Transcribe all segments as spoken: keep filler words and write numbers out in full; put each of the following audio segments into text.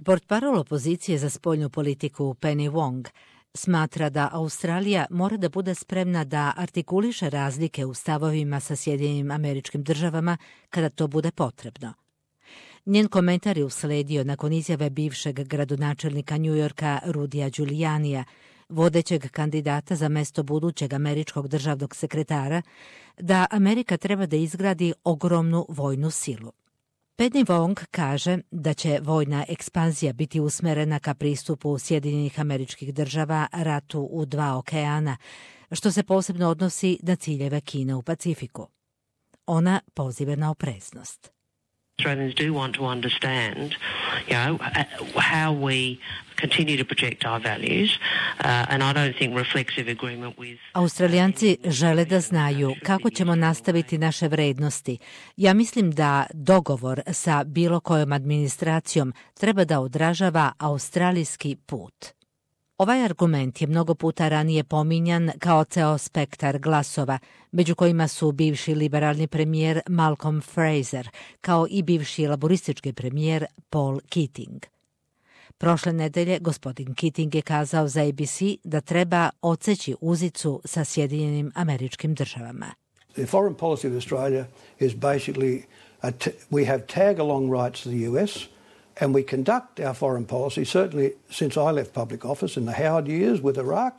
Portparol opozicije za spoljnu politiku Penny Wong smatra da Australija mora da bude spremna da artikuliše razlike u stavovima sa Sjedinjenim Američkim Državama kada to bude potrebno. Njen komentar je usledio nakon izjave bivšeg gradonačelnika Njujorka Rudija Giulianija, vodećeg kandidata za mesto budućeg američkog državnog sekretara, da Amerika treba da izgradi ogromnu vojnu silu. Penny Wong kaže da će vojna ekspanzija biti usmerena ka pristupu Sjedinjenih Američkih Država ratu u dva okeana, što se posebno odnosi na ciljeve Kine u Pacifiku. Ona poziva na opreznost. Australians do want to understand, you know, how we continue to project our values, uh, and I don't think reflexive agreement with... Australijanci žele da znaju kako ćemo nastaviti naše vrednosti. Ja mislim da dogovor sa bilo kojom administracijom treba da odražava australijski put. Ovaj argument je mnogo puta ranije pominjan kao ceo spektar glasova, među kojima su bivši liberalni premijer Malcolm Fraser, kao i bivši laboristički premijer Paul Keating. Prošle nedelje gospodin Keating je kazao za A B C da treba odseći uzicu sa Sjedinjenim Američkim Državama. The foreign policy of Australia is basically a t- we have tag-along rights to the U S, and we conduct our foreign policy, certainly since I left public office in the Howard years with Iraq.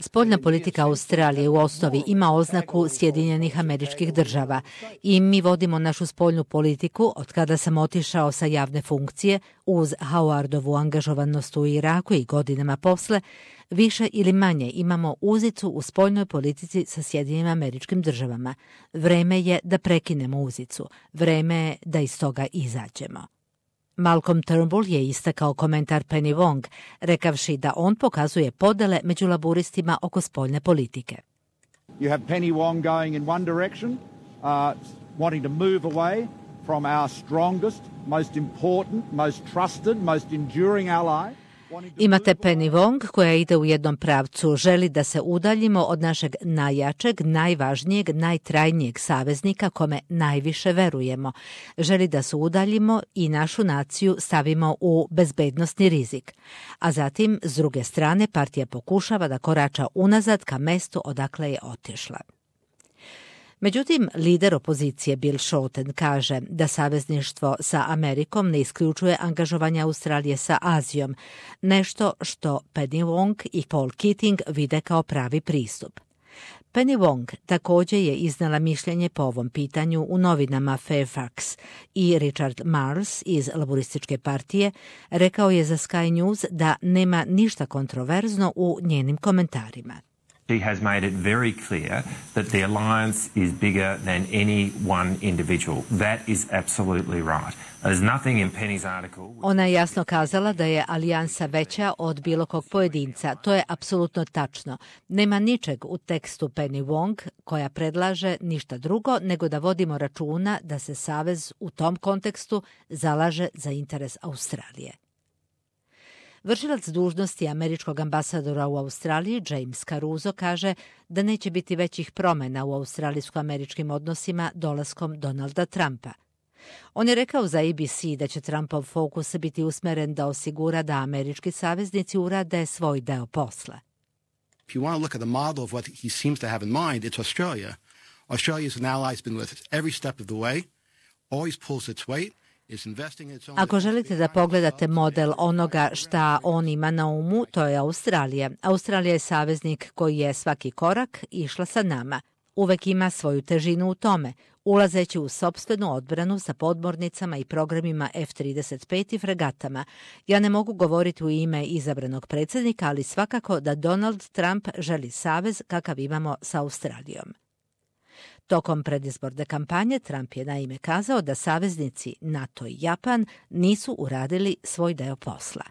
Spoljna politika Australije u osnovi ima oznaku Sjedinjenih Američkih Država i mi vodimo našu spoljnu politiku od kada sam otišao sa javne funkcije uz Howardovu angažovanost u Iraku i godinama posle, više ili manje imamo uzicu u spoljnoj politici sa Sjedinjenim Američkim Državama. Vreme je da prekinemo uzicu, vreme je da iz toga izađemo. Malcolm Turnbull je istakao komentar Penny Wong, rekavši da on pokazuje podele među laburistima oko spoljne politike. You have Penny Wong going in one direction, uh, wanting to move away from our strongest, most important, most trusted, most enduring ally. Imate Penny Wong koja ide u jednom pravcu, želi da se udaljimo od našeg najjačeg, najvažnijeg, najtrajnijeg saveznika kome najviše verujemo. Želi da se udaljimo i našu naciju stavimo u bezbednosni rizik. A zatim, s druge strane, partija pokušava da korača unazad ka mestu odakle je otišla. Međutim, lider opozicije Bill Shorten kaže da savezništvo sa Amerikom ne isključuje angažovanje Australije sa Azijom, nešto što Penny Wong i Paul Keating vide kao pravi pristup. Penny Wong također je iznala mišljenje po ovom pitanju u novinama Fairfax i Richard Marles iz Laborističke partije rekao je za Sky News da nema ništa kontroverzno u njenim komentarima. She has made it very clear that the alliance is bigger than any one individual. That is absolutely right. There's nothing in Penny's article. Ona je jasno kazala da je alijansa veća od bilo kog pojedinca. To je apsolutno tačno. Nema ničeg u tekstu Penny Wong koja predlaže ništa drugo nego da vodimo računa da se savez u tom kontekstu zalaže za interes Australije. Vršilac dužnosti američkog ambasadora u Australiji, James Caruso, kaže da neće biti većih promjena u australijsko-američkim odnosima dolaskom Donalda Trumpa. On je rekao za A B C da će Trumpov fokus biti usmeren da osigura da američki saveznici urade svoj deo posla. If you want to look at the model of what he seems to have in mind, it's Australia. Australia is an ally has been with us every step of the way, always pulls its weight. Ako želite da pogledate model onoga šta on ima na umu, to je Australija. Australija je saveznik koji je svaki korak išla sa nama. Uvek ima svoju težinu u tome, ulazeći u sopstvenu odbranu sa podmornicama i programima F trideset pet i fregatama. Ja ne mogu govoriti u ime izabranog predsjednika, ali svakako da Donald Trump želi savez kakav imamo sa Australijom. Tokom predizborne kampanje Trump je naime kazao da saveznici NATO i Japan nisu uradili svoj deo posla.